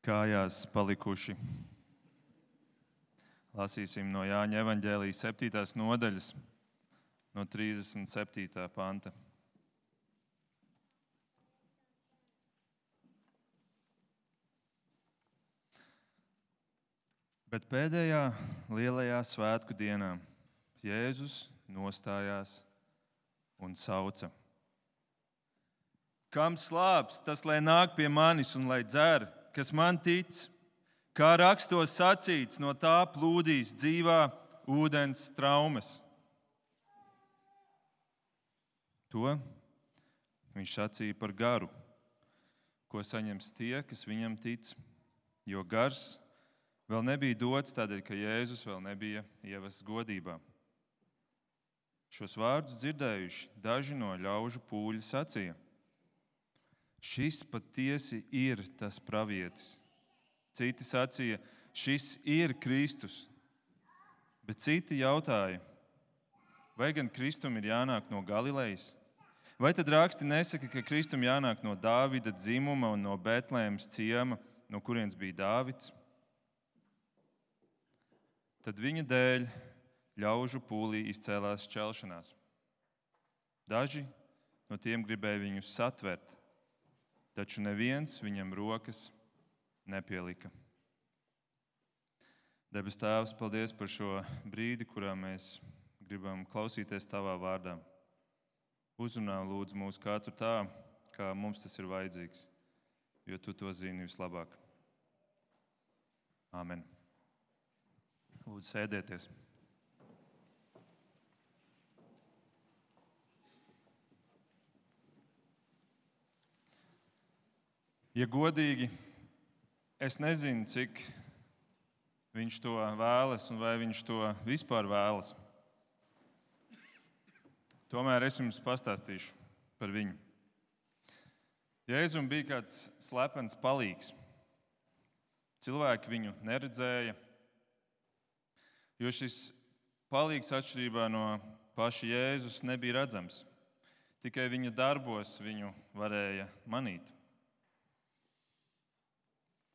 kājās palikuši. Lasīsim no Jāņa evaņģēlijas 7. nodaļas, no 37. panta. Bet pēdējā lielajā svētku dienā Jēzus nostājās un sauca: Kam slāps, tas lai nāk pie manis un lai dzer, kas man tic, kā rakstos sacīts, no tā plūdīs dzīvā ūdens straumes. To viņš sacīja par garu, ko saņems tie, kas viņam tic, jo gars vēl nebija dots tādēļ, ka Jēzus vēl nebija ievests godībā. Šos vārdus dzirdējuši daži no ļaužu pūļa sacīja: Šis patiesi ir tas pravietis. Citi sacīja: Šis ir Kristus. Bet citi jautāja: Vai gan Kristum ir jānāk no Galilejas? Vai tad raksti nesaka, ka Kristum jānāk no Dāvida dzimuma un no Betlēmes ciema, no kurienes bija Dāvids? Tad viņa dēļ ļaužu pūlī izcēlās šķelšanās. Daži no tiem gribēja viņu satvert, taču neviens viņam rokas nepielika. Debes Tēvs, paldies par šo brīdi, kurā mēs gribam klausīties Tavā vārdā. Uzrunā lūdzu mūs katru tā, kā mums tas ir vajadzīgs, jo Tu to zini vislabāk. Āmen. Lūdzu, sēdieties. Ja godīgi, es nezinu, cik viņš to vēlas un vai viņš to vispār vēlas. Tomēr es jums pastāstīšu par viņu. Jēzum bija kāds slepens palīgs. Cilvēki viņu neredzēja, jo šis palīgs atšķirībā no paša Jēzus nebija redzams. Tikai viņa darbos viņu varēja manīt.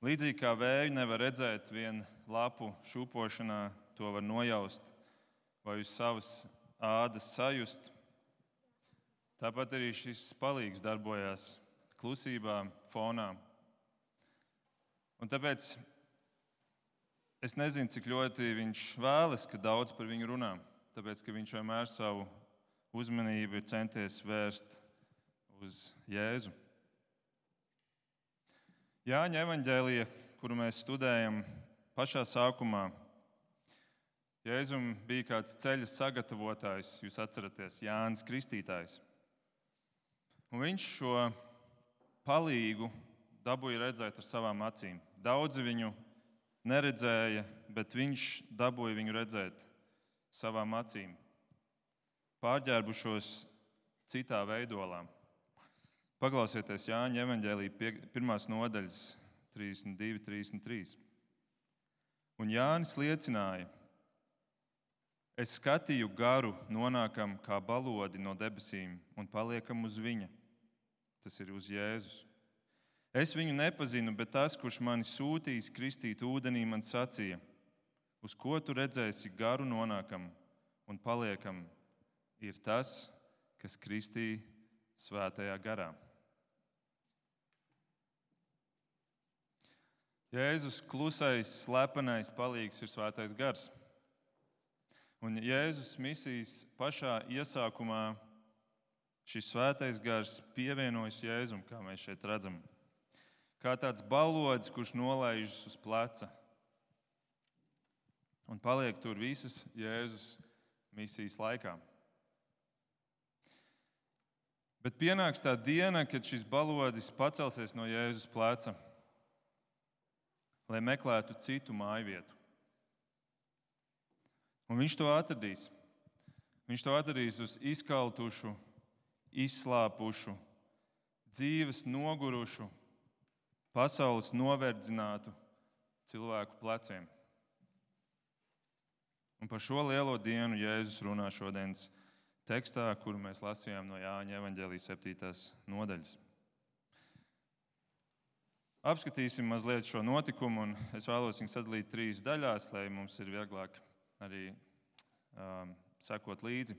Līdzīgi kā vēju nevar redzēt vien lapu šūpošanā, to var nojaust vai uz savas ādas sajust. Tāpat arī šis palīgs darbojās klusībā, fonā. Un tāpēc es nezinu, cik ļoti viņš vēlas, ka daudz par viņu runā, tāpēc ka viņš vienmēr savu uzmanību ir centies vērst uz Jēzu. Jāņa evaņģēlija, kuru mēs studējam, pašā sākumā Jēzum bija kāds ceļa sagatavotājs, jūs atceraties, Jānis Kristītājs. Un viņš šo palīgu dabūja redzēt ar savām acīm. Daudzi viņu neredzēja, bet viņš dabūja viņu redzēt savām acīm, pārģērbušos citā veidolā. Paklausieties Jāņa evaņģēlija 1. nodaļas 32-33. Un Jānis liecināja: Es skatīju garu nonākam kā balodi no debesīm un paliekam uz viņa. Tas ir uz Jēzus. Es viņu nepazinu, bet tas, kurš mani sūtīs kristīt ūdenī, man sacīja: Uz ko tu redzēsi garu nonākam un paliekam, ir tas, kas kristī svētajā garā. Jēzus klusais, slepenais palīgs ir svētais gars. Un Jēzus misijas pašā iesākumā šis svētais gars pievienojas Jēzum, kā mēs šeit redzam. Kā tāds balodis, kurš nolaižas uz pleca un paliek tur visas Jēzus misijas laikā. Bet pienāks tā diena, kad šis balodis pacelsies no Jēzus pleca, lai meklētu citu mājvietu. Un viņš to atradīs. Viņš to atradīs uz izkaltušu, izslāpušu, dzīves nogurušu, pasaules noverdzinātu cilvēku pleciem. Un par šo lielo dienu Jēzus runā šodienas tekstā, kuru mēs lasījām no Jāņa evaņģēlijas 7. nodaļas. Apskatīsim mazliet šo notikumu, un es vēlos viņu sadalīt 3 daļās, lai mums ir vieglāk arī sekot līdzi.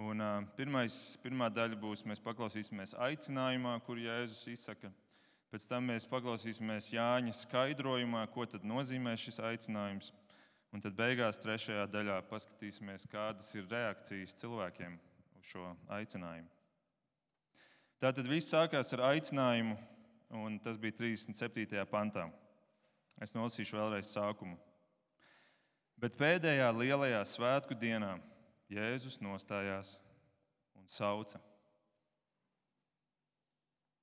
Un, pirmā daļa būs, mēs paklausīsimies aicinājumā, kur Jēzus izsaka. Pēc tam mēs paklausīsimies Jāņa skaidrojumā, ko tad nozīmē šis aicinājums. Un tad beigās 3. daļā paskatīsimies, kādas ir reakcijas cilvēkiem uz šo aicinājumu. Tātad viss sākās ar aicinājumu, un tas bija 37. pantā. Es nolasīšu vēlreiz sākumu. Bet pēdējā lielajā svētku dienā Jēzus nostājās un sauca.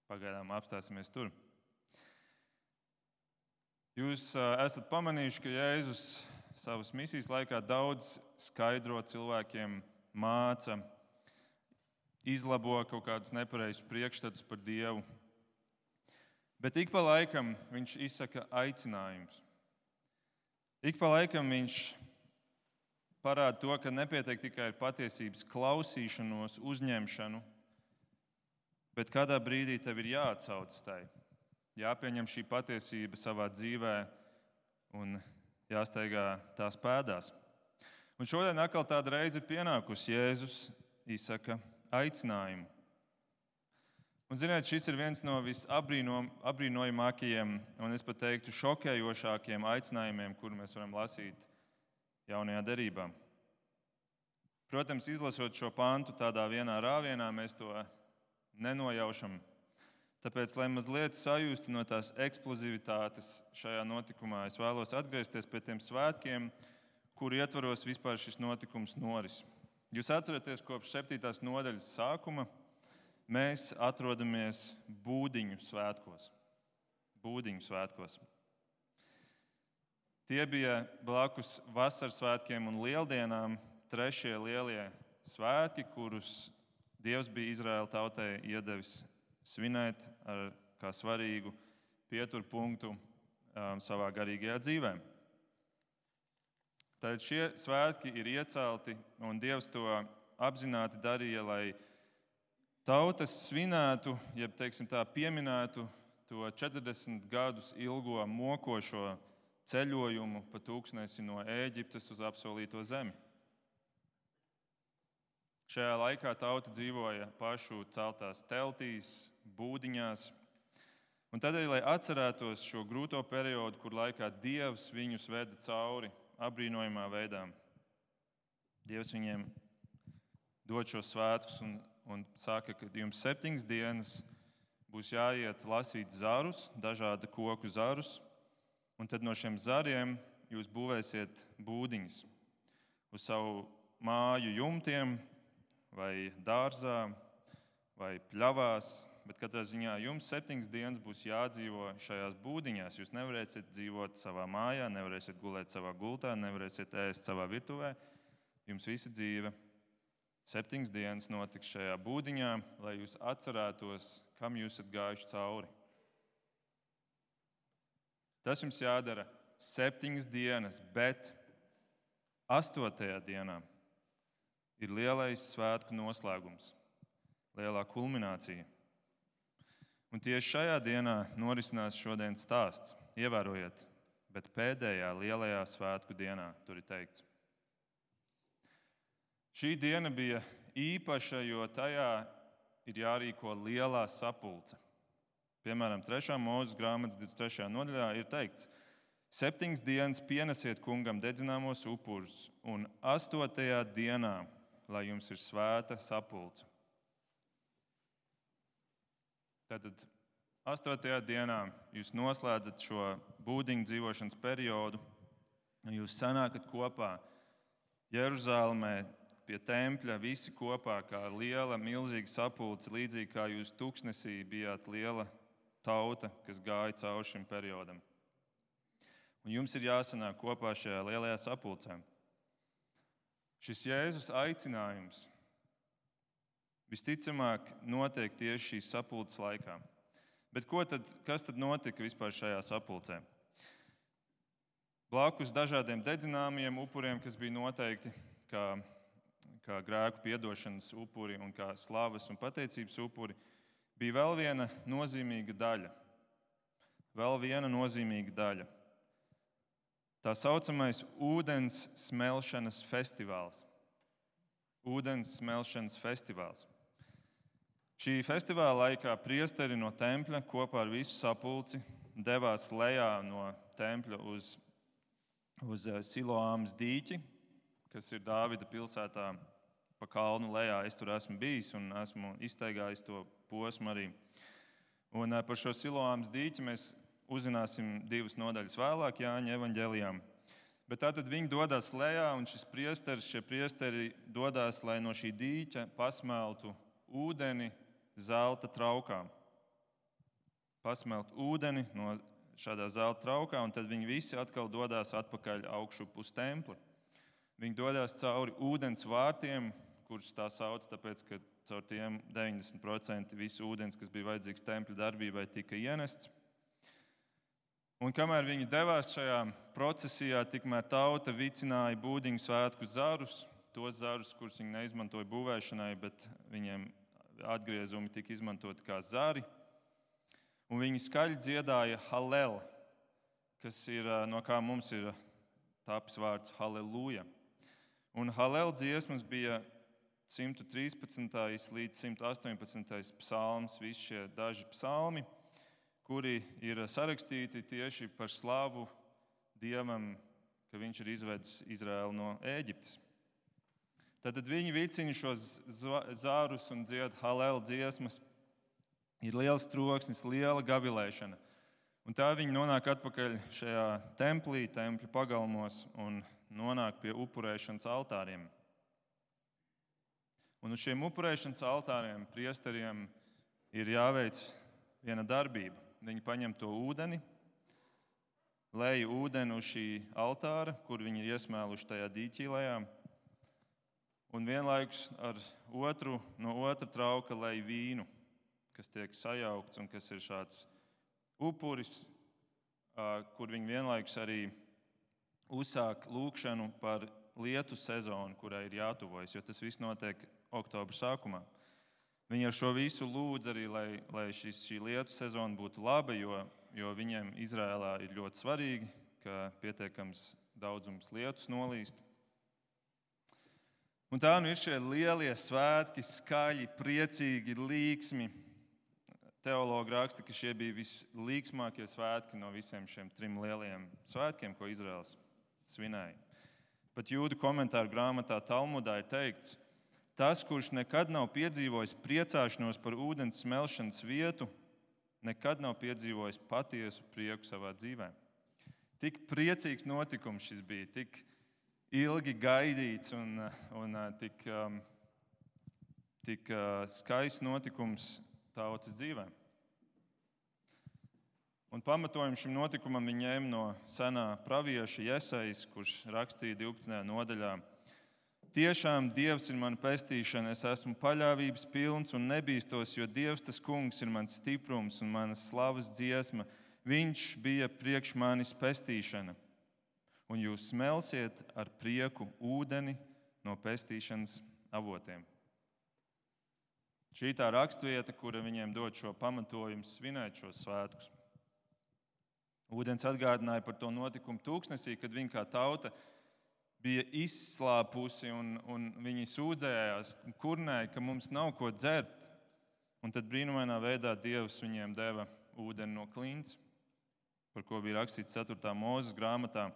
Pagaidām apstāsimies tur. Jūs esat pamanījuši, ka Jēzus savas misijas laikā daudz skaidro cilvēkiem, māca, izlabo kaut kādus nepareizus priekšstatus par Dievu. Bet ik pa laikam viņš izsaka aicinājumus. Ik pa laikam viņš parāda to, ka nepietiek tikai ar patiesības klausīšanos, uzņemšanu, bet kādā brīdī tev ir jāatsaucas tai. Jāpieņem šī patiesība savā dzīvē un jāsteigā tās pēdās. Un šodien atkal tāda reize ir pienākusi. Jēzus izsaka aicinājumu. Un, ziniet, šis ir viens no visapbrīnojamākajiem un es pat teiktu šokējošākiem aicinājumiem, kuru mēs varam lasīt Jaunajā derībā. Protams, izlasot šo pantu tādā vienā rāvienā, mēs to nenojaušam. Tāpēc, lai mazliet sajustu no tās eksplozivitātes šajā notikumā, es vēlos atgriezties pie tiem svētkiem, kuru ietvaros vispār šis notikums noris. Jūs atceraties, kopš 7. nodaļas sākuma mēs atrodamies Būdiņu svētkos. Būdiņu svētkos. Tie bija blakus vasaras svētkiem un lieldienām 3. lielie svētki, kurus Dievs bija Izraēla tautai iedevis svinēt kā svarīgu pieturpunktu savā garīgajā dzīvē. Tad šie svētki ir iecelti, un Dievs to apzināti darīja, lai tautas svinētu, jeb pieminētu to 40 gadus ilgo mokošo ceļojumu pa tūkstnesi no Ēģiptes uz apsolīto zemi. Šajā laikā tauta dzīvoja pašu celtās teltīs, būdiņās. Un tādēļ, lai atcerētos šo grūto periodu, kur laikā Dievs viņus veda cauri apbrīnojamā veidā, Dievs viņiem dod šos svētkus un saka, ka jums 7 dienas būs jāiet lasīt zarus, dažādu koku zarus, un tad no šiem zariem jūs būvēsiet būdiņas uz savu māju jumtiem, vai dārzā, vai pļavās, bet katrā ziņā jums 7 dienas būs jādzīvo šajās būdiņās. Jūs nevarēsiet dzīvot savā mājā, nevarēsiet gulēt savā gultā, nevarēsiet ēst savā virtuvē. Jums visa dzīve 7 dienas notiks šajā būdiņā, lai jūs atcerētos, kam jūs esat gājuši cauri. Tas jums jādara 7 dienas, bet 8. dienā ir lielais svētku noslēgums, lielā kulminācija. Un tieši šajā dienā norisinās šodienas stāsts. Ievērojiet, bet pēdējā lielajā svētku dienā tur ir teikts. Šī diena bija īpaša, jo tajā ir jārīko lielā sapulce. Piemēram, 3. mūzes grāmatas 23. nodaļā ir teikts: 7 dienas pienesiet kungam dedzināmos upurus, un 8. dienā, lai jums ir svēta sapulce. Tātad 8. dienā jūs noslēdzat šo būdiņu dzīvošanas periodu, un jūs sanākat kopā Jeruzālēmē pie tempļa, visi kopā kā liela, milzīga sapulce, līdzīgi kā jūs tūkstnesī bijāt liela tauta, kas gāja cauri šim periodam. Un jums ir jāsanāk kopā šajā lielajā sapulcē. Šis Jēzus aicinājums visticamāk notiek tieši šīs sapulces laikā. Bet kas tad notika vispār šajā sapulcē? Blakus dažādiem dedzināmiem upuriem, kas bija noteikti kā grēku piedošanas upuri un kā slavas un pateicības upuri, bija vēl viena nozīmīga daļa. vēl viena nozīmīga daļa. Tā saucamais ūdens smelšanas festivāls. Ūdens smelšanas festivāls. Šī festivāla laikā priesteri no tempļa kopā ar visu sapulci devās lejā no tempļa uz Siloāmas dīķi, kas ir Dāvida pilsētā pa kalnu lejā. Es tur esmu bijis un esmu iztaigājis to posmu arī. Un par šo Siloāmas dīķi mēs uzzināsim 2 nodaļas vēlāk Jāņa evaņģēlijā. Bet tātad viņi dodas lejā, un šie priesteri dodas, lai no šī dīķa pasmeltu ūdeni zelta traukā. Pasmelt ūdeni no šādā zelta traukā, un tad viņi visi atkal dodas atpakaļ augšup uz templi. Viņi dodas cauri ūdens vārtiem, kurus tā sauc, tāpēc, ka caur tiem 90% visu ūdens, kas bija vajadzīgs tempļa darbībai, tika ienests. Un kamēr viņi devās šajā procesijā, tikmēr tauta vicināja būdiņu svētku zarus, tos zarus, kurus viņi neizmantoja būvēšanai, bet viņiem atgriezumi tika izmantoti kā zari. Un viņi skaļi dziedāja Hallel, kas ir, no kā mums ir tapis vārds Halleluja. Un Hallel dziesmas bija 113. līdz 118. psalms, visi šie daži psalmi, kuri ir sarakstīti tieši par slavu Dievam, ka viņš ir izvedis Izraēlu no Ēģiptes. Tad viņi vicina šos zārus un dzied Hallel dziesmas. Ir liels troksnis, liela gavilēšana. Un tā viņi nonāk atpakaļ šajā templī, tempļa pagalmos un nonāk pie upurēšanas altāriem. Un uz šiem upurēšanas altāriem priesteriem ir jāveic viena darbība. Viņi paņem to ūdeni, lej ūdeni uz šī altāra, kur viņi ir iesmēluši tajā dīķī lejā, un vienlaikus no otra trauka lej vīnu, kas tiek sajaukts un kas ir šāds upuris, kur viņi vienlaikus arī uzsāk lūgšanu par lietu sezonu, kurai ir jātuvojas, jo tas viss notiek oktobra sākumā. Viņi ar šo visu lūdz arī, lai šī lietu sezona būtu laba, jo viņiem Izrēlā ir ļoti svarīgi, ka pietiekams daudzums lietus nolīst. Un tā ir šie lielie svētki, skaļi, priecīgi, līksmi. Teologi raksta, ka šie bija vislīksmākie svētki no visiem šiem 3 lielajiem svētkiem, ko Izraels svinēja. Pat jūdu komentāru grāmatā Talmudā ir teikts, tas, kurš nekad nav piedzīvojis priecāšanos par ūdens smelšanas vietu, nekad nav piedzīvojis patiesu prieku savā dzīvē. Tik priecīgs notikums šis bija, tik ilgi gaidīts un tik skaists notikums tautas dzīvē. Un pamatojumu šim notikumam viņi ņēma no senā pravieša Jesajas, kurš rakstīja 12. nodaļā: Tiešām Dievs ir mana pestīšana, es esmu paļāvības pilns un nebīstos, jo Dievs tas kungs ir mans stiprums un manas slavas dziesma. Viņš bija priekš manis pestīšana. Un jūs smelsiet ar prieku ūdeni no pestīšanas avotiem. Šī tā rakstvieta, kura viņiem dod šo pamatojumu svinēt šos svētkus. Ūdens atgādināja par to notikumu tūkstnesī, kad viņi kā tauta bija izslāpusi un viņi sūdzējās, kurnēja, ka mums nav ko dzert. Un tad brīnumainā veidā Dievs viņiem deva ūdeni no klints, par ko bija rakstīts 4. Mūzes grāmatā,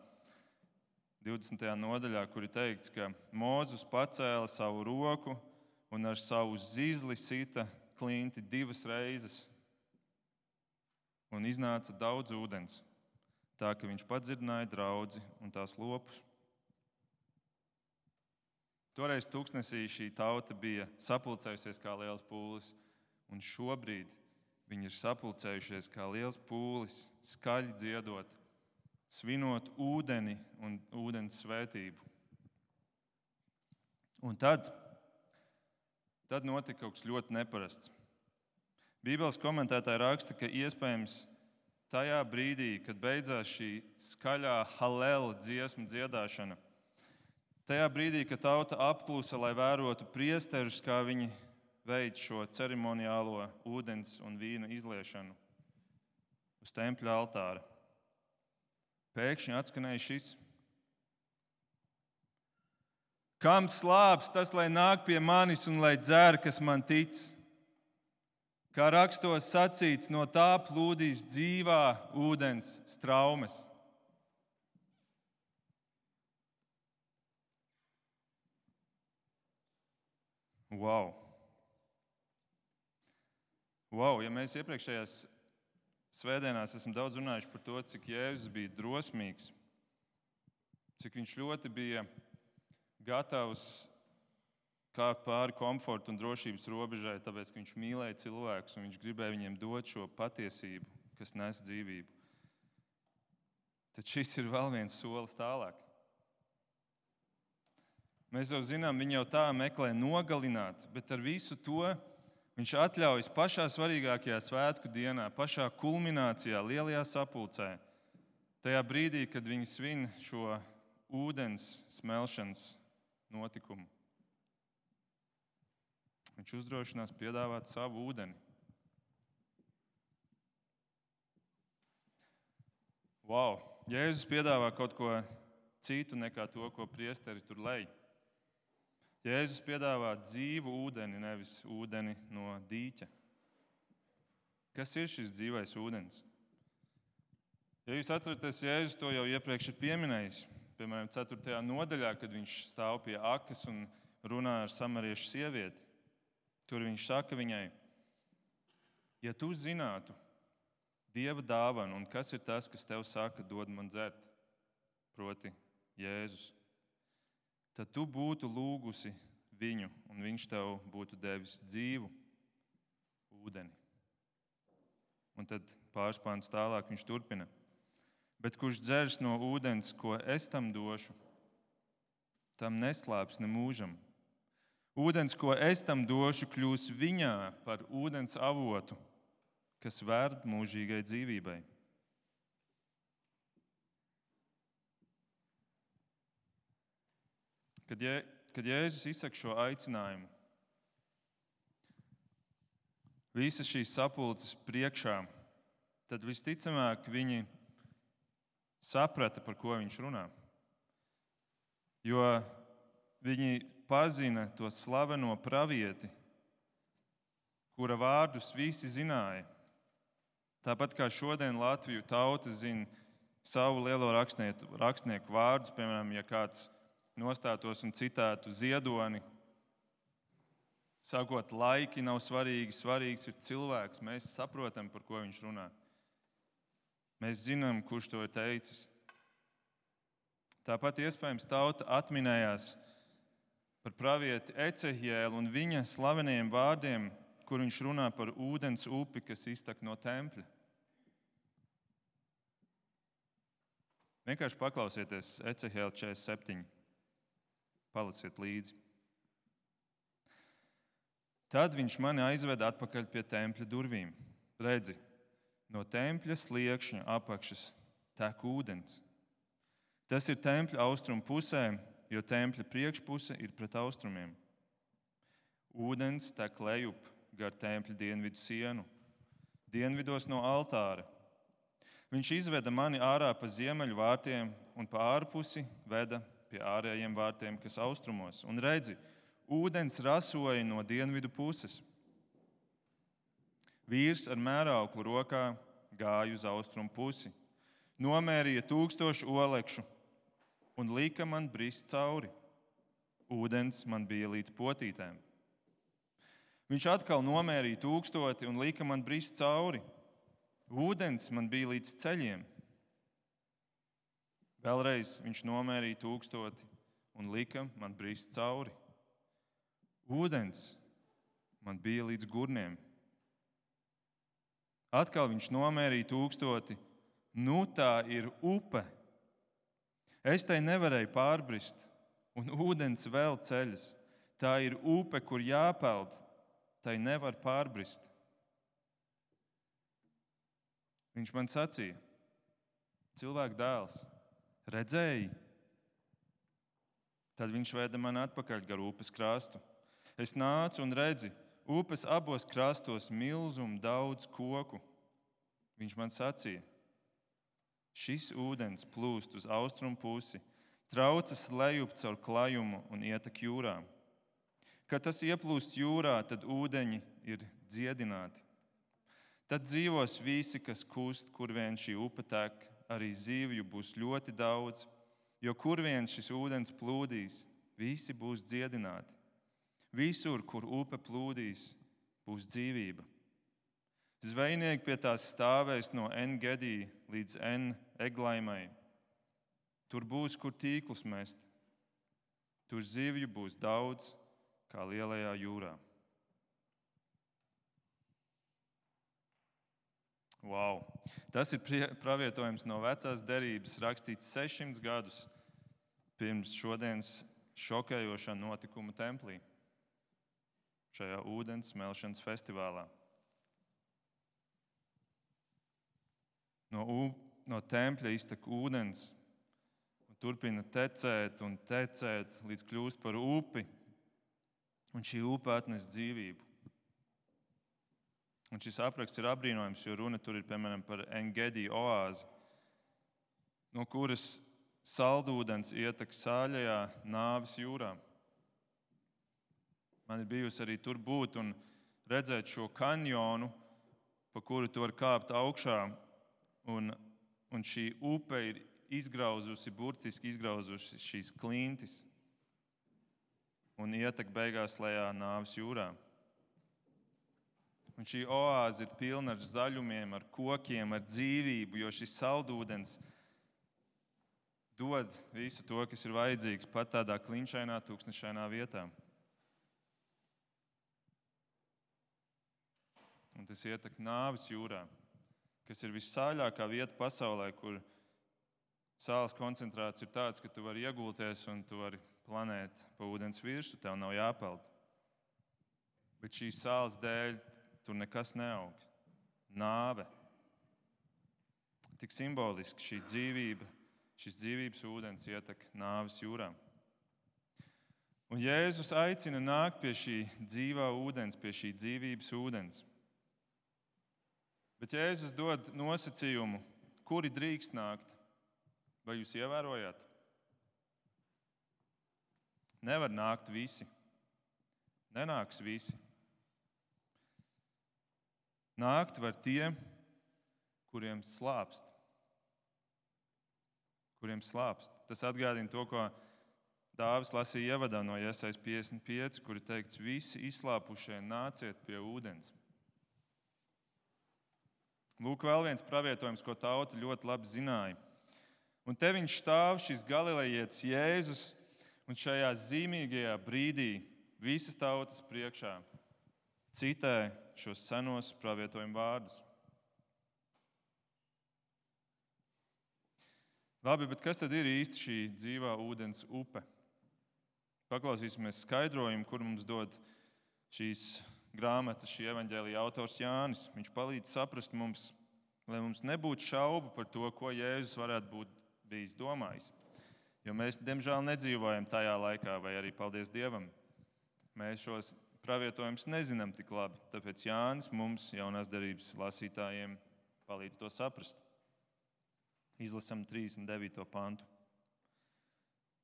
20. nodaļā, kur ir teikts, ka Mūzes pacēla savu roku un ar savu zizli sita klinti 2 reizes. Un iznāca daudz ūdens, tā ka viņš padzirdināja draudzi un tās lopus. Toreiz tūkstnesī šī tauta bija sapulcējusies kā liels pūlis, un šobrīd viņi ir sapulcējušies kā liels pūlis, skaļi dziedot, svinot ūdeni un ūdens svētību. Un tad notika kaut kas ļoti neparasts. Bībeles komentētāji raksta, ka iespējams tajā brīdī, kad beidzās šī skaļā Hallel dziesmu dziedāšana, tajā brīdī, kad tauta apklusa, lai vērotu priesterus, kā viņi veic šo ceremoniālo ūdens un vīna izliešanu uz tempļa altāra. Pēkšņi atskanēja šis: Kam slāps, tas lai nāk pie manis un lai dzer, kas man tic. Kā rakstos sacīts, no tā plūdīs dzīvā ūdens straumes. Wow! Ja mēs iepriekšējās svētdienās esam daudz runājuši par to, cik Jēzus bija drosmīgs, cik viņš ļoti bija gatavs kāpt pāri komforta un drošības robežai, tāpēc, ka viņš mīlēja cilvēkus un viņš gribēja viņiem dot šo patiesību, kas nes dzīvību. Tad šis ir vēl viens solis tālāk. Mēs jau zinām, viņi jau tā meklē nogalināt, bet ar visu to viņš atļaujas pašā svarīgākajā svētku dienā, pašā kulminācijā, lielajā sapulcē, tajā brīdī, kad viņi svin šo ūdens smelšanas notikumu. Viņš uzdrošinās piedāvāt savu ūdeni. Wow! Jēzus piedāvā kaut ko citu nekā to, ko priesteri tur lej. Jēzus piedāvā dzīvu ūdeni, nevis ūdeni no dīķa. Kas ir šis dzīvais ūdens? Ja jūs atceraties, Jēzus to jau iepriekš ir pieminējis. Piemēram, 4. nodaļā, kad viņš stāv pie akas un runā ar samariešu sievieti. Tur viņš saka viņai: Ja tu zinātu Dieva dāvanu un kas ir tas, kas tev saka, dod man dzert, proti Jēzus, tad tu būtu lūgusi viņu, un viņš tev būtu devis dzīvu ūdeni. Un tad pāris pāntus tālāk viņš turpina: Bet kurš dzers no ūdens, ko es tam došu, tam neslāps ne mūžam. Ūdens, ko es tam došu, kļūs viņā par ūdens avotu, kas vērd mūžīgai dzīvībai. Kad Jēzus izsaka šo aicinājumu, visas šīs sapulces priekšā, tad visticamāk viņi saprata, par ko viņš runā. Jo viņi pazina to slaveno pravieti, kura vārdus visi zināja. Tāpat kā šodien Latviju tauta zina savu lielo rakstnieku vārdus, piemēram, ja kāds nostātos un citētu Ziedoni, sakot, laiki nav svarīgi, svarīgs ir cilvēks. Mēs saprotam, par ko viņš runā. Mēs zinām, kurš to ir teicis. Tāpat iespējams tauta atminējās par pravieti Ecehjēlu un viņa slavenajiem vārdiem, kur viņš runā par ūdens upi, kas iztek no tempļa. Vienkārši paklausieties Ecehjēla 47. Palasiet līdzi. Tad viņš mani aizveda atpakaļ pie tempļa durvīm. Redzi, no tempļa sliekšņa apakšas tek ūdens. Tas ir tempļa austrumu pusē, jo tempļa priekšpuse ir pret austrumiem. Ūdens tek lejup gar tempļa dienvidu sienu, dienvidos no altāra. Viņš izveda mani ārā pa ziemeļu vārtiem un pa ārpusi veda pie ārējiem vārtiem, kas austrumos. Un redzi, ūdens rasoja no dienvidu puses. Vīrs ar mērauklu rokā gāja uz austrumu pusi, nomērīja 1000 olekšu un lika man brist cauri. Ūdens man bija līdz potītēm. Viņš atkal nomērīja 1000 un lika man brist cauri. Ūdens man bija līdz ceļiem. Vēlreiz viņš nomērīja 1000 un lika man brist cauri. Ūdens man bija līdz gurniem. Atkal viņš nomērīja 1000. Nu tā ir upe. Es tai nevarēju pārbrist, un ūdens vēl ceļas. Tā ir upe, kur jāpeld, tai nevar pārbrist. Viņš man sacīja: Cilvēka dēls, redzēji? Tad viņš veda mani atpakaļ gar upes krastu. Es nācu un redzi, upes abos krastos milzumu daudz koku, Viņš man sacīja: šis ūdens plūst uz austrumu pusi, traucas lejup caur klajumu un ietek jūrā. Kad tas ieplūst jūrā, tad ūdeņi ir dziedināti. Tad dzīvos visi, kas kust, kur vien šī upe tek, arī zivju būs ļoti daudz, jo kur vien šis ūdens plūdīs, visi būs dziedināti. Visur, kur upe plūdīs, būs dzīvība. Zvejnieki pie tās stāvēs no En-Gedī līdz En-Eglaimai. Tur būs, kur tīklus mest. Tur zivju būs daudz, kā lielajā jūrā. Wow. Tas ir pravietojums no vecās derības, rakstīts 600 gadus pirms šodienas šokējošā notikuma templī, šajā ūdens smelšanas festivālā. No tempļa iztek ūdens un turpina tecēt un tecēt, līdz kļūst par upi, un šī upe atnes dzīvību. Un šis apraksts ir apbrīnojams, jo runa tur ir, piemēram, par En-Gedī oāzi, no kuras saldūdens ietek sāļajā nāves jūrā. Man ir bijusi arī tur būt un redzēt šo kanjonu, pa kuru tu vari kāpt augšā, un šī upe ir burtiski izgrauzusi šīs klintis un ietek beigās lejā nāves jūrā. Un šī oāze ir pilna ar zaļumiem, ar kokiem, ar dzīvību, jo šis saldūdens dod visu to, kas ir vajadzīgs pat tādā klinšainā, tūkstnešainā vietā. Un tas ietek nāves jūrā, kas ir vissāļākā vieta pasaulē, kur sāls koncentrāts ir tāds, ka tu vari iegulties un tu vari planēt pa ūdens virsmu, tev nav jāpeld. Bet šīs sāls dēļ tur nekas neaug. Nāve. Tik simboliski šī dzīvība, šis dzīvības ūdens ietek nāves jūrā. Un Jēzus aicina nākt pie šī dzīvā ūdens, pie šī dzīvības ūdens. Bet Jēzus dod nosacījumu, kuri drīkst nākt. Vai jūs ievērojāt? Nevar nākt visi. Nenāks visi. Nākt var tie, kuriem slāpst. Kuriem slāpst. Tas atgādina to, ko Dāvis lasīja ievadā no Jesajas 55, kur ir teikts: visi izslāpušie nāciet pie ūdens. Lūk, vēl viens pravietojums, ko tauta ļoti labi zināja. Un te viņš stāv, šis galilejietis Jēzus, un šajā zīmīgajā brīdī visas tautas priekšā citē šos senos pravietojumu vārdus. Labi, bet kas tad ir īsti šī dzīvā ūdens upe? Paklausīsimies skaidrojumu, kur mums dod šīs grāmatas, šī evaņģēlija autors Jānis. Viņš palīdz saprast mums, lai mums nebūtu šaubu par to, ko Jēzus varētu būt bijis domājis. Jo mēs, diemžēl, nedzīvojam tajā laikā, vai arī, paldies Dievam, mēs šos pravietojumus nezinām tik labi. Tāpēc Jānis mums, jaunās derības lasītājiem, palīdz to saprast. Izlasam 39. pantu.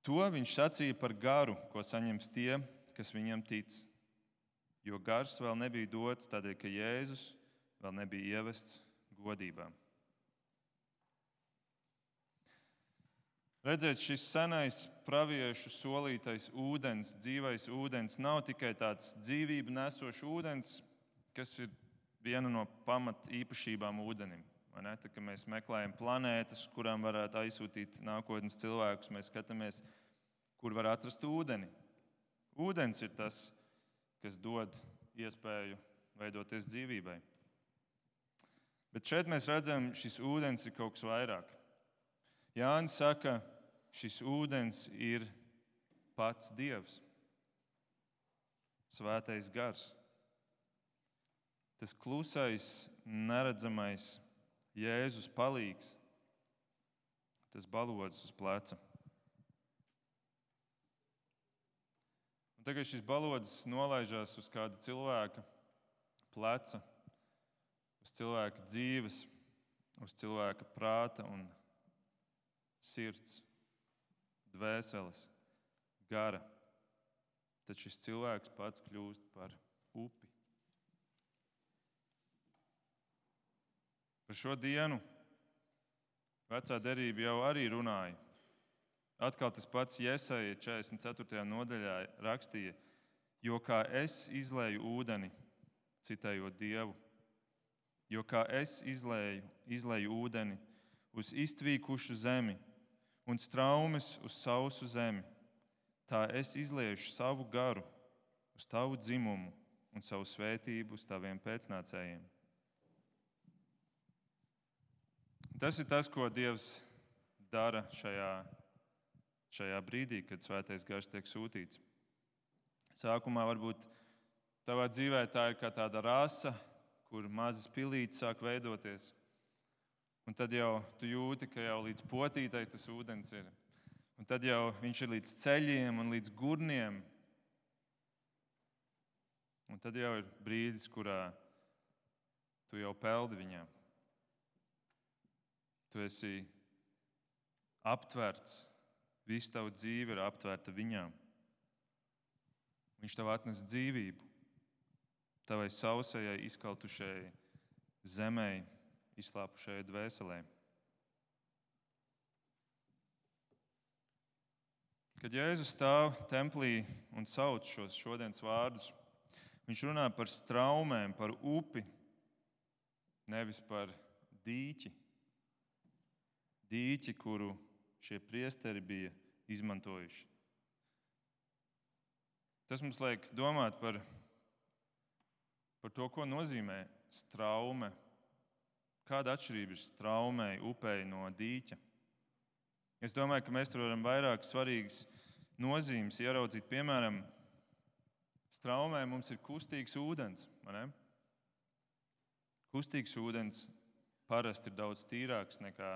To viņš sacīja par garu, ko saņems tie, kas viņam tic. Jo gars vēl nebija dots, tādēļ, ka Jēzus vēl nebija ievests godībā. Redzēt, šis senais praviešu solītais ūdens, dzīvais ūdens, nav tikai tāds dzīvību nesošs ūdens, kas ir viena no pamat īpašībām ūdenim. Tad, kad mēs meklējam planētas, kurām varētu aizsūtīt nākotnes cilvēkus, mēs skatāmies, kur var atrast ūdeni. Ūdens ir tas, kas dod iespēju veidoties dzīvībai. Bet šeit mēs redzam, šis ūdens ir kaut kas vairāk. Jānis saka, šis ūdens ir pats Dievs, svētais gars. Tas klusais, neredzamais Jēzus palīgs, tas balods uz pleca. Un tagad šis balods nolaižās uz kāda cilvēka pleca, uz cilvēka dzīves, uz cilvēka prāta un sirds, dvēseles, gara, tad šis cilvēks pats kļūst par upi. Par šo dienu Vecā derība jau arī runāja. Atkal tas pats Jesaja 44. nodaļā rakstīja, jo kā es izlēju ūdeni, citējot Dievu, jo kā es izlēju ūdeni uz iztvīkušu zemi un straumes uz sausu zemi, tā es izliešu savu garu uz tavu dzimumu un savu svētību uz taviem pēcnācējiem. Tas ir tas, ko Dievs dara šajā brīdī, kad Svētais Gars tiek sūtīts. Sākumā varbūt tavā dzīvē tā ir kā tāda rasa, kur mazas pilītes sāk veidoties. Un tad jau tu jūti, ka jau līdz potītai tas ūdens ir. Un tad jau viņš ir līdz ceļiem un līdz gurniem. Un tad jau ir brīdis, kurā tu jau peldi viņā. Tu esi aptverts, visu tavu dzīvi ir aptverta viņā. Viņš tev atnes dzīvību, tavai sausajai, izkaltušajai zemei, izslāpušajai dvēselē. Kad Jēzus stāv templī un sauc šos šodienas vārdus, viņš runā par straumēm, par upi, nevis par dīķi. Dīķi, kuru šie priesteri bija izmantojuši. Tas mums liek domāt par to, ko nozīmē straume. Kāda atšķirība ir straumei, upei no dīķa? Es domāju, ka mēs tur varam vairāk svarīgas nozīmes ieraudzīt. Piemēram, straumē mums ir kustīgs ūdens. Vai ne? Kustīgs ūdens parasti ir daudz tīrāks nekā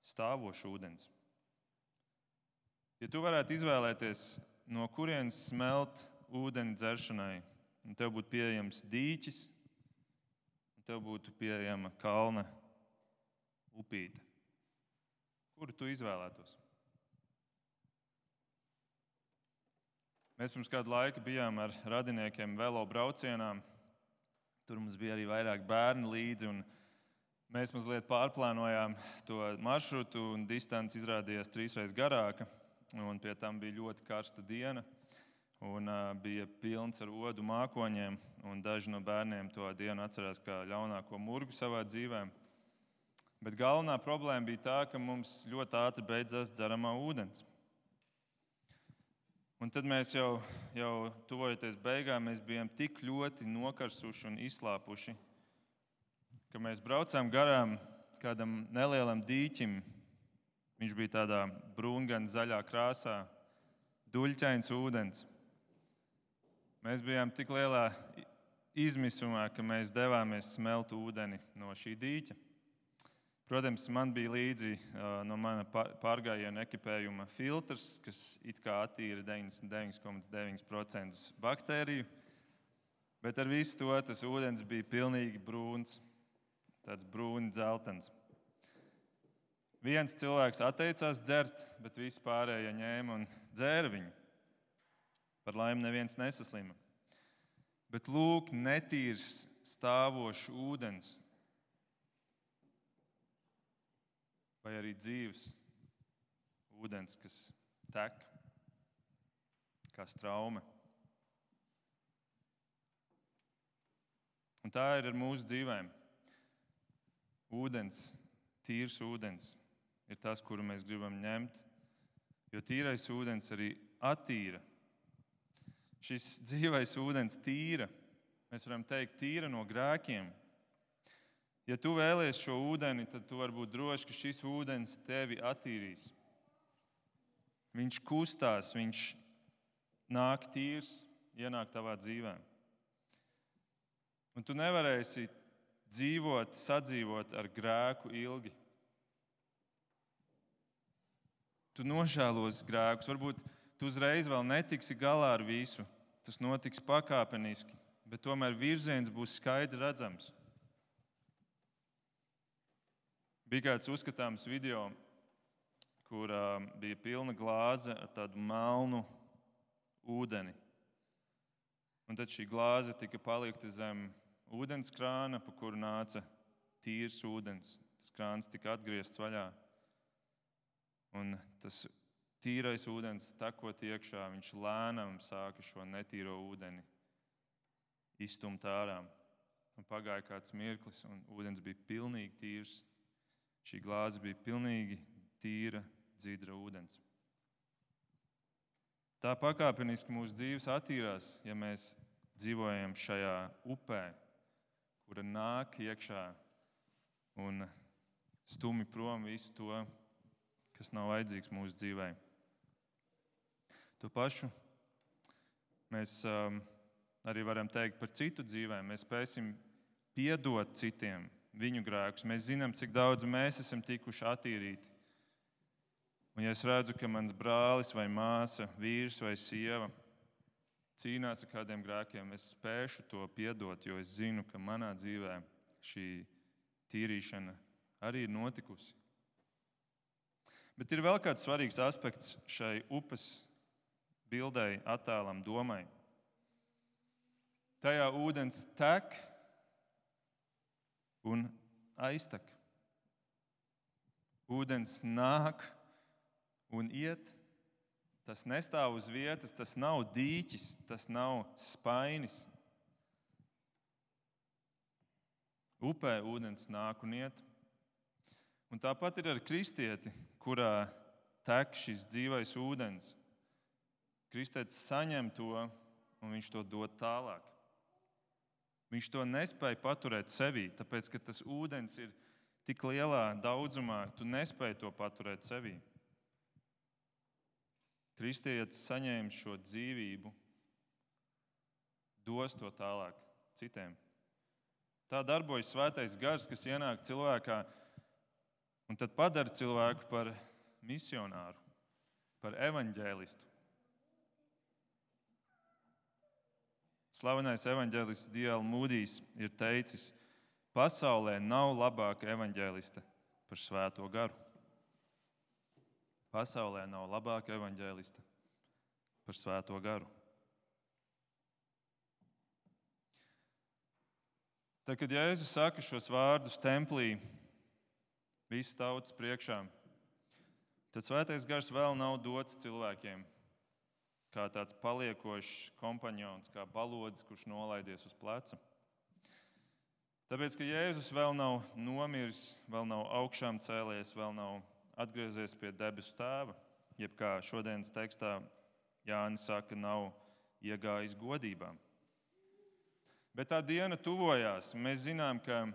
stāvošs ūdens. Ja tu varētu izvēlēties, no kurienes smelt ūdeni dzeršanai, un tev būtu pieejams dīķis, un tev būtu pieejama kalna upīte, kuru tu izvēlētos? Mēs pirms kādu laiku bijām ar radiniekiem velo braucienā. Tur mums bija arī vairāk bērni līdzi, un mēs mazliet pārplānojām to maršrutu, un distance izrādījās 3 reizes garāka. Un pie tam bija ļoti karsta diena, un bija pilns ar odu mākoņiem. Un daži no bērniem to dienu atcerās kā ļaunāko murgu savā dzīvē. Bet galvenā problēma bija tā, ka mums ļoti ātri beidzās dzeramā ūdens. Un tad mēs jau tuvojoties beigām, mēs bijām tik ļoti nokarsuši un izslāpuši, ka mēs braucām garām kādam nelielam dīķim. Viņš bija tādā brūngana zaļā krāsā, duļķains ūdens. Mēs bijām tik lielā izmisumā, ka mēs devāmies smelt ūdeni no šī dīķa. Protams, man bija līdzi no mana pārgājiena ekipējuma filtrs, kas it kā attīra 99,9% baktēriju, bet ar visu to tas ūdens bija pilnīgi brūns, tāds brūni dzeltens. Viens cilvēks atteicās dzert, bet visi pārējie ņēma un dzēra viņu. Par laimi neviens nesaslima. Bet lūk, netīrs stāvošs ūdens, vai arī dzīves ūdens, kas tek kā straume. Un tā ir ar mūsu dzīvēm. Ūdens, tīrs ūdens ir tas, kuru mēs gribam ņemt, jo tīrais ūdens arī attīra. Šis dzīvais ūdens tīra, mēs varam teikt, tīra no grēkiem. Ja tu vēlies šo ūdeni, tad tu vari būt drošs, ka šis ūdens tevi attīrīs. Viņš kustās, viņš nāk tīrs, ienāk tavā dzīvē. Un tu nevarēsi sadzīvot ar grēku ilgi. Tu nožēlos grēkus, varbūt tu uzreiz vēl netiksi galā ar visu. Tas notiks pakāpeniski, bet tomēr virziens būs skaidri redzams. Bija kāds uzskatāms video, kur bija pilna glāze ar tādu melnu ūdeni. Un tad šī glāze tika palikta zem ūdens krāna, pa kuru nāca tīrs ūdens. Tas krāns tika atgriezts vaļā. Un tas tīrais ūdens tekot iekšā, viņš lēnām sāka šo netīro ūdeni izstumt ārā. Un pagāja kāds mirklis, un ūdens bija pilnīgi tīrs. Šī glāze bija pilnīgi tīra, dzidra ūdens. Tā pakāpeniski mūsu dzīves attīrās, ja mēs dzīvojam šajā upē, kura nāk iekšā un stumi prom visu to, kas nav vajadzīgs mūsu dzīvē. To pašu mēs arī varam teikt par citu dzīvēm. Mēs spēsim piedot citiem viņu grēkus. Mēs zinām, cik daudz mēs esam tikuši attīrīti. Un ja es redzu, ka mans brālis vai māsa, vīrs vai sieva cīnās ar kādiem grēkiem, es spēšu to piedot, jo es zinu, ka manā dzīvē šī tīrīšana arī ir notikusi. Bet ir vēl kāds svarīgs aspekts šai upes bildei, attēlam, domai. Tajā ūdens tek un aiztek. Ūdens nāk un iet. Tas nestāv uz vietas, tas nav dīķis, tas nav spainis. Upē ūdens nāk un iet. Un tāpat ir ar kristieti, kurā tek šis dzīvais ūdens. Kristietis saņem to, un viņš to dod tālāk. Viņš to nespēja paturēt sevī, tāpēc, ka tas ūdens ir tik lielā daudzumā, tu nespēji to paturēt sevī. Kristietis saņēma šo dzīvību, dos to tālāk citiem. Tā darbojas svētais gars, kas ienāk cilvēkā un tad padara cilvēku par misionāru, par evaņģēlistu. Slavenais evaņģēlists D.L. Mūdijs ir teicis, pasaulē nav labāka evaņģēlista par svēto garu. Pasaulē nav labāka evaņģēlista par svēto garu. Tad, kad Jēzus saka šos vārdus templī, visas tautas priekšā, tad svētais gars vēl nav dots cilvēkiem, kā tāds paliekošs kompanjons, kā balodis, kurš nolaidies uz pleca. Tāpēc, ka Jēzus vēl nav nomiris, vēl nav augšām cēlies, vēl nav atgriezies pie debesu tēva, jeb kā šodienas tekstā Jānis saka, nav iegājis godībā. Bet tā diena tuvojās. Mēs zinām, ka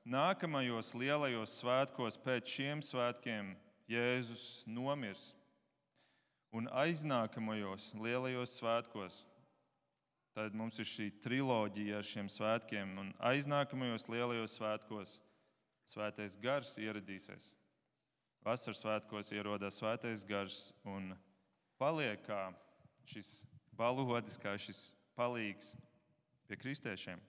nākamajos lielajos svētkos pēc šiem svētkiem Jēzus nomirs. Un aiznākamajos lielajos svētkos, tad mums ir šī triloģija ar šiem svētkiem, un aiznākamajos lielajos svētkos svētais gars ieradīsies. Vasaras svētkos ierodās svētais gars un paliek kā šis balodis, kā šis palīgs pie kristiešiem.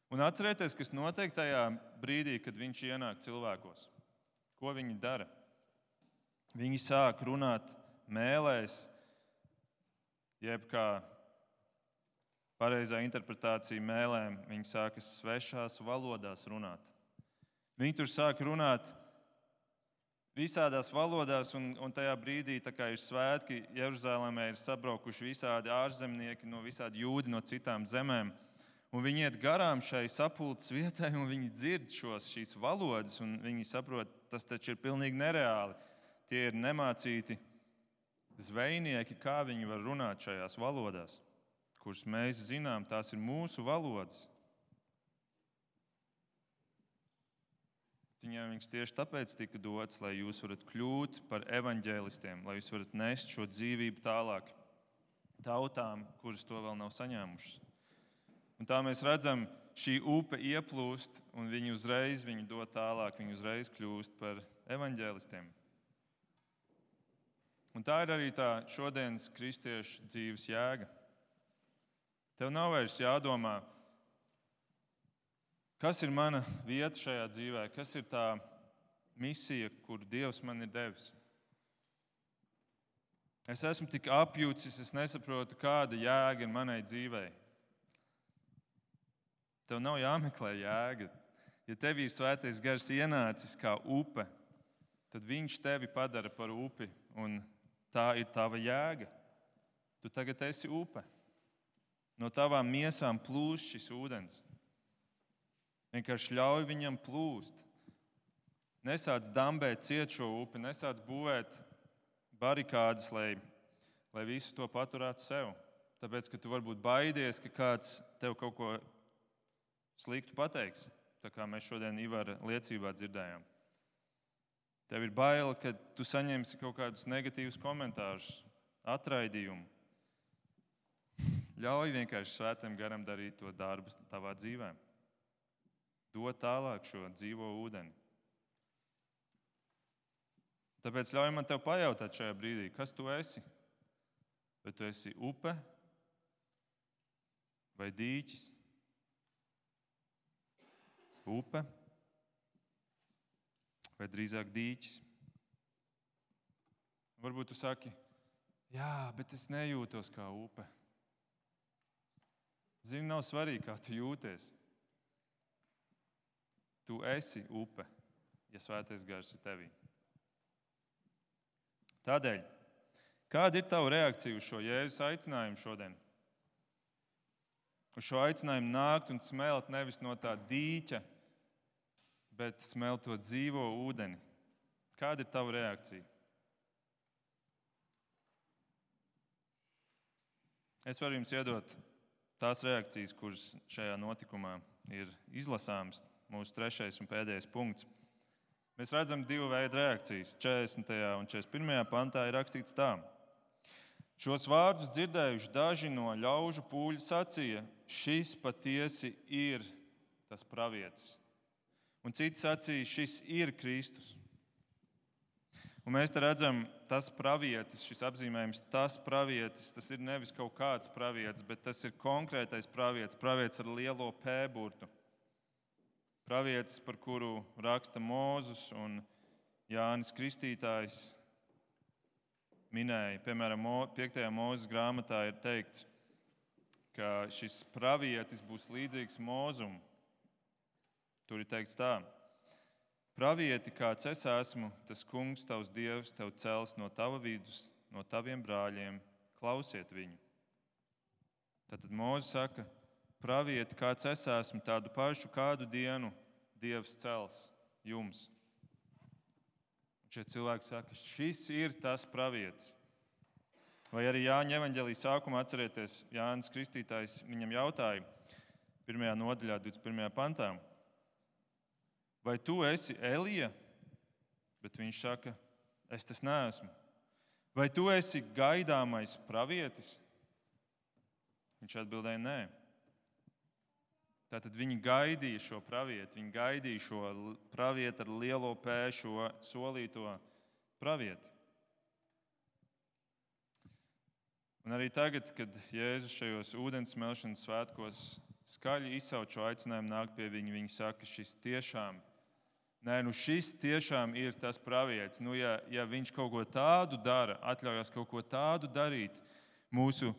Un atcerieties, kas notiek tajā brīdī, kad viņš ienāk cilvēkos. Ko viņi dara? Viņi sāk runāt mēlēs, jeb kā pareizā interpretācija mēlēm, viņi sākas svešās valodās runāt. Viņi tur sāk runāt visādās valodās, un tajā brīdī, tā kā ir svētki, Jeruzālēmē ir sabraukuši visādi ārzemnieki, visādi jūdi no citām zemēm. Un viņi iet garām šai sapulces vietai, un viņi dzird šīs valodas, un viņi saprot, tas taču ir pilnīgi nereāli. Tie ir nemācīti zvejnieki, kā viņi var runāt šajās valodās, kuras mēs zinām, tās ir mūsu valodas. Viņiem viņš tieši tāpēc tika dots, lai jūs varat kļūt par evaņģēlistiem, lai jūs varat nest šo dzīvību tālāk tautām, kuras to vēl nav saņēmušas. Un tā mēs redzam, šī upe ieplūst, un viņi uzreiz viņu dod tālāk, viņi uzreiz kļūst par evaņģēlistiem. Un tā ir arī tā šodienas kristiešu dzīves jēga. Tev nav vairs jādomā, kas ir mana vieta šajā dzīvē, kas ir tā misija, kuru Dievs man ir devis. Es esmu tik apjūcis, es nesaprotu, kāda jēga ir manai dzīvei. Tev nav jāmeklē jēga. Ja tev ir Svētais Gars ienācis kā upe, tad viņš tevi padara par upi, un tā ir tava jēga. Tu tagad esi upe. No tavām miesām plūst šis ūdens. Vienkārši ļauj viņam plūst. Nesāc dambēt ciet šo upi, nesāc būvēt barikādes, lai visu to paturētu sev. Tāpēc, ka tu varbūt baidies, ka kāds tev kaut ko sliktu pateiks, tā kā mēs šodien Ivara liecībā dzirdējām. Tev ir bail, ka tu saņemsi kaut kādus negatīvus komentārus, atraidījumu. Ļauj vienkārši Svētajam Garam darīt to darbu tavā dzīvē. Dod tālāk šo dzīvo ūdeni. Tāpēc ļauj man tev pajautāt šajā brīdī, kas tu esi? Vai tu esi upe vai dīķis? Upe vai drīzāk dīķis? Varbūt tu saki, jā, bet es nejūtos kā upe. Zini, nav svarīgi, kā tu jūties. Tu esi upe, ja Svētais Gars ir tevī. Tādēļ, kāda ir tava reakcija uz šo Jēzus aicinājumu šodien? Uz šo aicinājumu nākt un smelt nevis no tā dīķa, bet smelt to dzīvo ūdeni. Kāda ir tava reakcija? Es varu jums iedot tās reakcijas, kuras šajā notikumā ir izlasāmas. Mūsu 3. un pēdējais punkts. Mēs redzam divu veidu reakcijas. 40. un 41. pantā ir rakstīts tā. Šos vārdus dzirdējuši daži no ļaužu pūļu sacīja, šis patiesi ir tas pravietis. Un citi sacīja, šis ir Kristus. Un mēs te redzam, tas pravietis, šis apzīmējums, tas pravietis, tas ir nevis kaut kāds pravietis, bet tas ir konkrētais pravietis, pravietis ar lielo P burtu. Pravietis, par kuru raksta Mūzes un Jānis Kristītājs minēja. Piemēram, 5. Mūzes grāmatā ir teikts, ka šis pravietis būs līdzīgs Mūzum. Tur ir teikts tā. Pravieti, kāds es esmu, tas kungs, tavs Dievs, tev cels no tava vidus, no taviem brāļiem, klausiet viņu. Tātad Mūzes saka, pravieti, kāds es esmu, tādu pašu kādu dienu Dievs cels jums. Un šie cilvēki saka, šis ir tas pravietis. Vai arī Jāņa evaņģēlija sākumā atcerieties, Jānis Kristītājs viņam jautāja 1. nodaļā, 21. pantā, vai tu esi Elija? Bet viņš saka, es tas neesmu. Vai tu esi gaidāmais pravietis? Viņš atbildēja, nē. Tātad viņi gaidīja šo pravieti, viņi gaidīja šo pravieti ar lielo P, šo solīto pravieti. Un arī tagad, kad Jēzus šajos ūdens smelšanas svētkos skaļi izsauc šo aicinājumu nākt pie viņa, viņi saka, šis tiešām ir tas pravietis. Ja viņš kaut ko tādu dara, atļaujas kaut ko tādu darīt, mūsu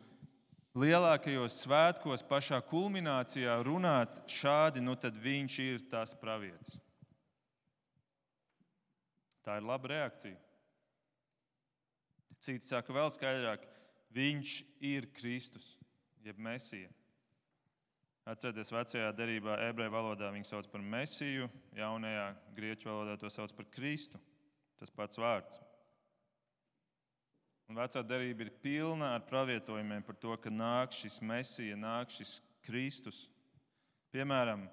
lielākajos svētkos, pašā kulminācijā runāt šādi, tad viņš ir tas pravietis. Tā ir laba reakcija. Citi saka vēl skaidrāk, viņš ir Kristus, jeb Mesija. Atcerieties, vecajā derībā ebreju valodā viņu sauc par Mesiju, jaunajā grieķu valodā to sauc par Kristu. Tas pats vārds. Un vecā derība ir pilna ar pravietojumiem par to, ka nāk šis Mesija, nāk šis Kristus. Piemēram,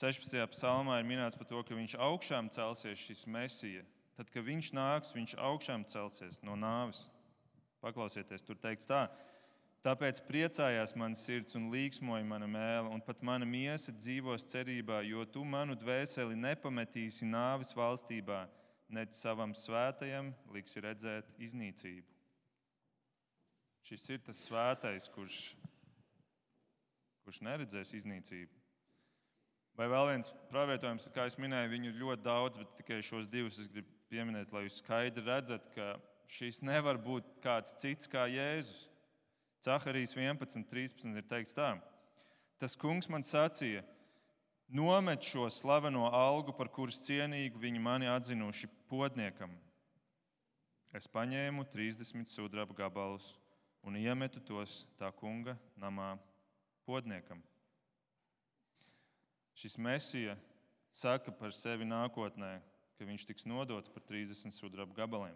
16. psalmā ir minēts par to, ka viņš augšām celsies šis Mesija. Tad, kad viņš nāks, viņš augšām celsies no nāves. Paklausieties, tur teikts tā. Tāpēc priecājās mana sirds un līksmoja mana mēle, un pat mana miesa dzīvos cerībā, jo tu manu dvēseli nepametīsi nāves valstībā, nec savam svētajam liksi redzēt iznīcību. Šis ir tas svētais, kurš neredzēs iznīcību. Vai vēl viens pravietojums, kā es minēju, viņu ir ļoti daudz, bet tikai šos divus es gribu pieminēt, lai jūs skaidri redzat, ka šis nevar būt kāds cits kā Jēzus. Caharijas 11.13 ir teikts tā: Tas kungs man sacīja, nomet šo slaveno algu, par kuras cienīgu viņi mani atzinuši podniekam. Es paņēmu 30 sudraba gabalus un iemetu tos tā kunga namā podniekam. Šis Mesija saka par sevi nākotnē, ka viņš tiks nodots par 30 sudraba gabaliem.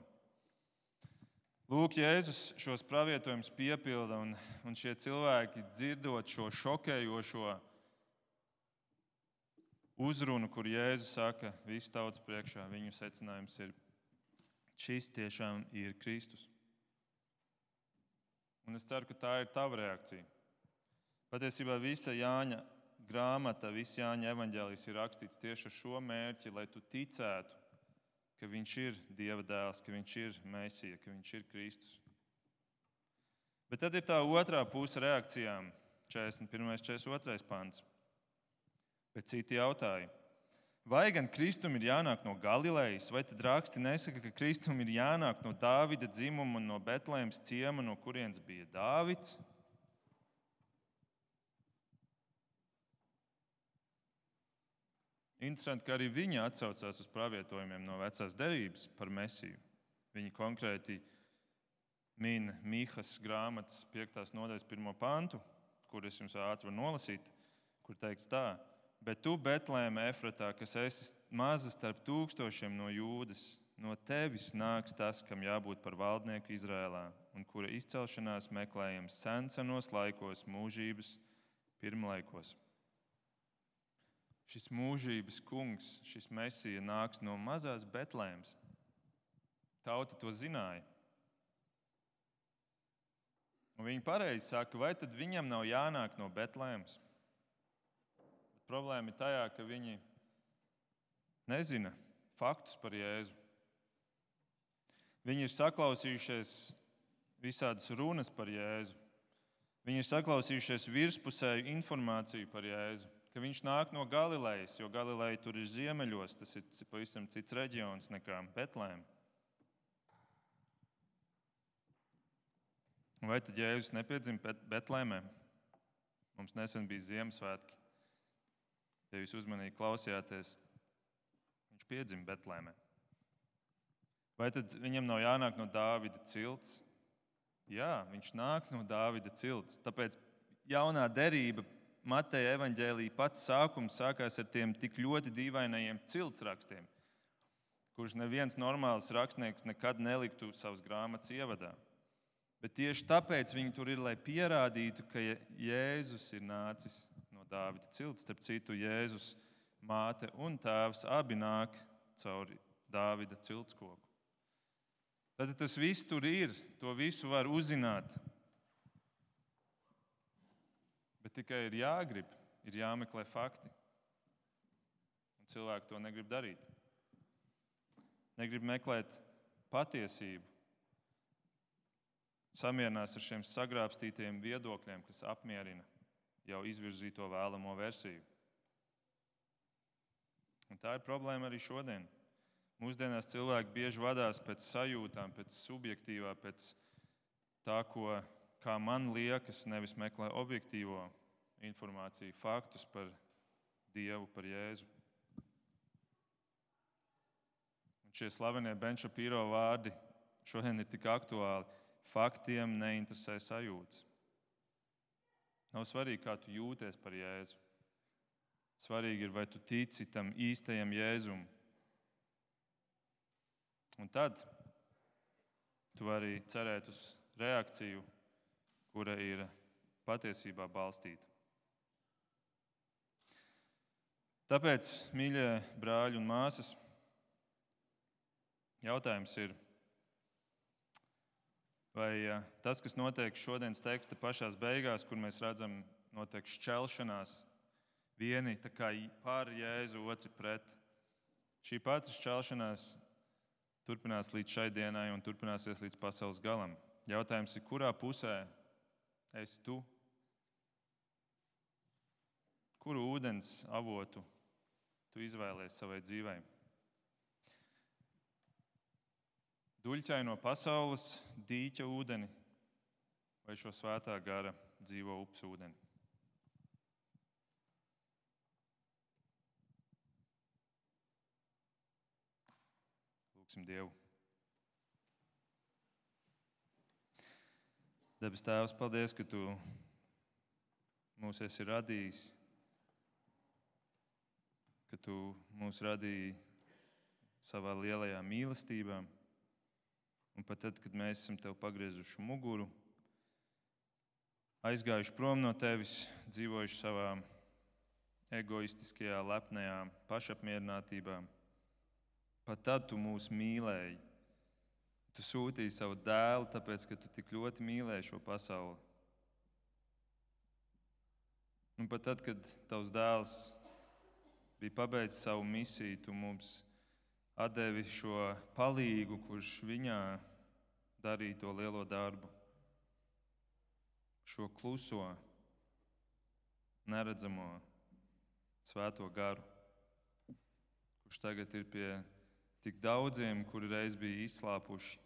Lūk, Jēzus šos pravietojumus piepilda, un šie cilvēki, dzirdot šo šokējošo uzrunu, kur Jēzus saka visu tautas priekšā, viņu secinājums ir: šis tiešām ir Kristus. Un es ceru, ka tā ir tava reakcija. Patiesībā visa Jāņa grāmata, viss Jāņa evaņģēlijs ir rakstīts tieši ar šo mērķi, lai tu ticētu, ka viņš ir Dieva dēls, ka viņš ir Mēsija, ka viņš ir Kristus. Bet tad ir tā otrā puse reakcijām, 41. 42. pants. Bet citi jautāja: vai gan Kristum ir jānāk no Galilejas, vai tad raksti nesaka, ka Kristum ir jānāk no Dāvida dzimuma un no Betlēmas ciema, no kurienes bija Dāvids? Interesanti, ka arī viņi atsaucās uz pravietojumiem no Vecās derības par Mesiju. Viņi konkrēti min Mīhas grāmatas 5. nodaļas 1. pantu, kur es jums ātri varu nolasīt, kur teikts tā: Bet tu, Betlēme Efratā, kas esi maza starp tūkstošiem no Jūdas, no tevis nāks tas, kam jābūt par valdnieku Izrēlā, un kura izcelšanās meklējams senos laikos, mūžības pirmlaikos. Šis mūžības kungs, šis Mesija nāks no mazās Betlēmes. Tauta to zināja. Un viņi pareizi saka, vai tad viņam nav jānāk no Betlēmes? Problēma ir tajā, ka viņi nezina faktus par Jēzu. Viņi ir saklausījušies visādas runas par Jēzu. Viņi ir saklausījušies virspusēju informāciju par Jēzu, ka viņš nāk no Galilejas, jo Galileja tur ir ziemeļos, tas ir pavisam cits reģions nekā Betlēme. Vai tad Jēzus nepiedzima Betlēmē? Mums nesen bija Ziemassvētki. Ja jūs uzmanīgi klausījāties, viņš piedzima Betlēmē. Vai tad viņam nav jānāk no Dāvida cilts? Jā, viņš nāk no Dāvida cilts. Tāpēc jaunā derība, Mateja evaņģēlija pats sākums sākās ar tiem tik ļoti dīvainajiem ciltsrakstiem, kurus neviens normāls rakstnieks nekad neliktu savas grāmatas ievadā. Bet tieši tāpēc viņi tur ir, lai pierādītu, ka Jēzus ir nācis no Dāvida cilts. Starp citu, Jēzus māte un tēvs abi nāk caur Dāvida ciltskoku. Tad tas viss tur ir, to visu var uzzināt. Bet tikai ir jāgrib, ir jāmeklē fakti. Un cilvēki to negrib darīt. Negrib meklēt patiesību. Samierinās ar šiem sagrābstītajiem viedokļiem, kas apmierina jau izvirzīto vēlamo versiju. Un tā ir problēma arī šodien. Mūsdienās cilvēki bieži vadās pēc sajūtām, pēc subjektīvā, pēc tā, kā man liekas, nevis meklē objektīvo informāciju, faktus par Dievu, par Jēzu. Un šie slavenie Ben Shapiro vārdi šodien ir tik aktuāli. Faktiem neinteresē sajūtas. Nav svarīgi, kā tu jūties par Jēzu. Svarīgi ir, vai tu tici tam īstajam Jēzum. Un tad tu vari cerēt uz reakciju, kura ir patiesībā balstīta. Tāpēc, mīļie brāļi un māsas, jautājums ir, vai tas, kas notiek šodienas teksta pašās beigās, kur mēs redzam, notiek šķelšanās, vieni tā kā par Jēzu, otri pret, šī pati šķelšanās turpinās līdz šai dienai un turpināsies līdz pasaules galam. Jautājums ir, kurā pusē esi tu? Kuru ūdens avotu tu izvēlies savai dzīvei. Duļķaino pasaules dīķa ūdeni vai šo svētā gara dzīvo upes ūdeni. Lūksim Dievu. Debes Tēvs, paldies, ka Tu mūs esi radījis, ka Tu mūs radīji savā lielajā mīlestībā. Un pat tad, kad mēs esam Tev pagriezuši muguru, aizgājuši prom no Tevis, dzīvojuši savā egoistiskajā, lepnajā pašapmierinātībā, pat tad Tu mūs mīlēji. Tu sūtīji savu dēlu, tāpēc, ka Tu tik ļoti mīlēji šo pasauli. Un pat tad, kad Tavs dēls bija pabeidzis savu misiju, Tu mums atdevi šo palīgu, kurš viņā darīja to lielo darbu. Šo kluso, neredzamo, svēto garu, kurš tagad ir pie tik daudziem, kuri reiz bija izslāpuši.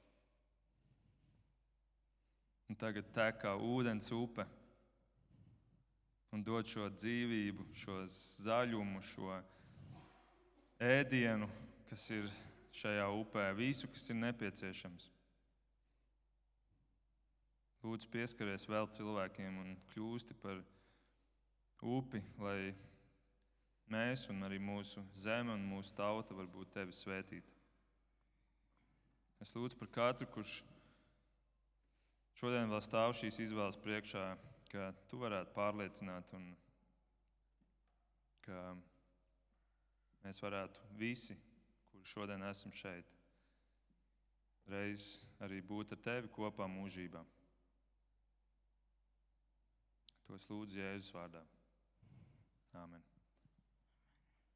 Un tagad tek kā ūdens upe un dod šo dzīvību, šo zaļumu, šo ēdienu, kas ir šajā upē, visu, kas ir nepieciešams. Lūdzu, pieskaries vēl cilvēkiem un kļūsti par upi, lai mēs un arī mūsu zeme un mūsu tauta var būt Tevi svētīta. Es lūdzu par katru, kurš šodien vēl stāv šīs izvēles priekšā, ka Tu varētu pārliecināt un ka mēs varētu visi, kuri šodien esam šeit, reiz arī būt ar Tevi kopā mūžībā. To es lūdzu Jēzus vārdā. Āmen.